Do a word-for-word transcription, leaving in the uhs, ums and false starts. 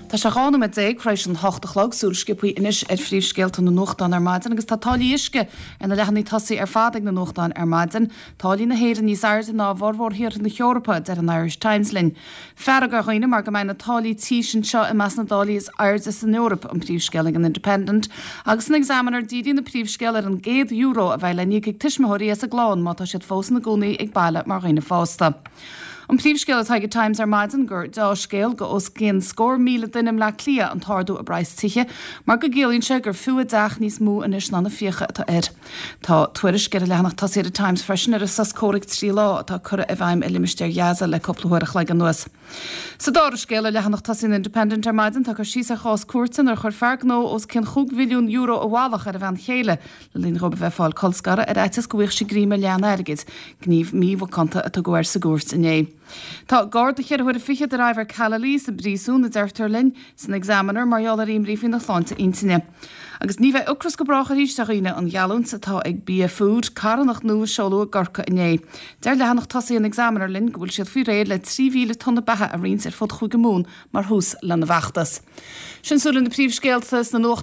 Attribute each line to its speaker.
Speaker 1: Tá sé dhá nóiméad déag tar éis an hocht a chlog súil sciobtha anois ar phríomhscéalta na nuachtán ar maidin agus tá táillí uisce ar na leathanaigh tosaigh ar fad ag na nuachtáin ar maidin. Táillí na hÉireann níos airde ná formhór thíortha na hEorpa deir an Irish Times linn. Fearg ar dhaoine mar go mbeidh na táillí tí anseo i measc na dtáillí is airde san Eoraip an príomhscéal ag an Independent, agus san Examiner díríonn an príomhscéal ar an gcéad euro a bheidh le n-íoc ag tuismitheoirí as a gclann má tá siad fós ina gcónaí ag baile mar dhaoine fásta. An príomhscéal atá ag Times ar maidin gur dea-scéal go os cionn scór míle duine i mBaile Átha Cliath an t-ardú i bpraghas tithe, mar go gciallaíonn sé gur fiú a dteach níos mó anois ná na fiacha atá air. Tá tuairisc ar an leathanach tosaigh ar Times freisin ar an sos comhraic trí lá atá curtha i bhfeidhm i limistéar Ghaza le cúpla uair a chloig anuas. Sa dara scéal ar leathanach tosaigh an Independent ar maidin tá cur síos ar chás cúirte ar chuir fear gnó os cionn chúig mhilliún euro i bhfalach ar a bhean chéile le linn dóibh a bheith ag fáil colscaradh ar fhaitíos go bhfaigheadh sí greim ar leath an airgid, gníomh mímhacánta a tugadh air sa gcúirt inné. Tá gar do cheithre huaire fichead ar Ivor Callely sa bpríosún a deirtear linn san Examiner mar gheall ar imní faoina shláinte intinne. Agus ní bheidh ocras go brách arís ar dhaoine an gheallúint atá ag Bia Food carthanacht nua a seoladh i gCorcaigh inné. Deir leathanach tosaigh an Examiner linn go bhfuil siad faoi réir le trí mhíle tonna beatha a roinnt ar fud Chúige Mumhan mar thús lena bhfeachtas. Sin súil na príomhscéalta sna nuacht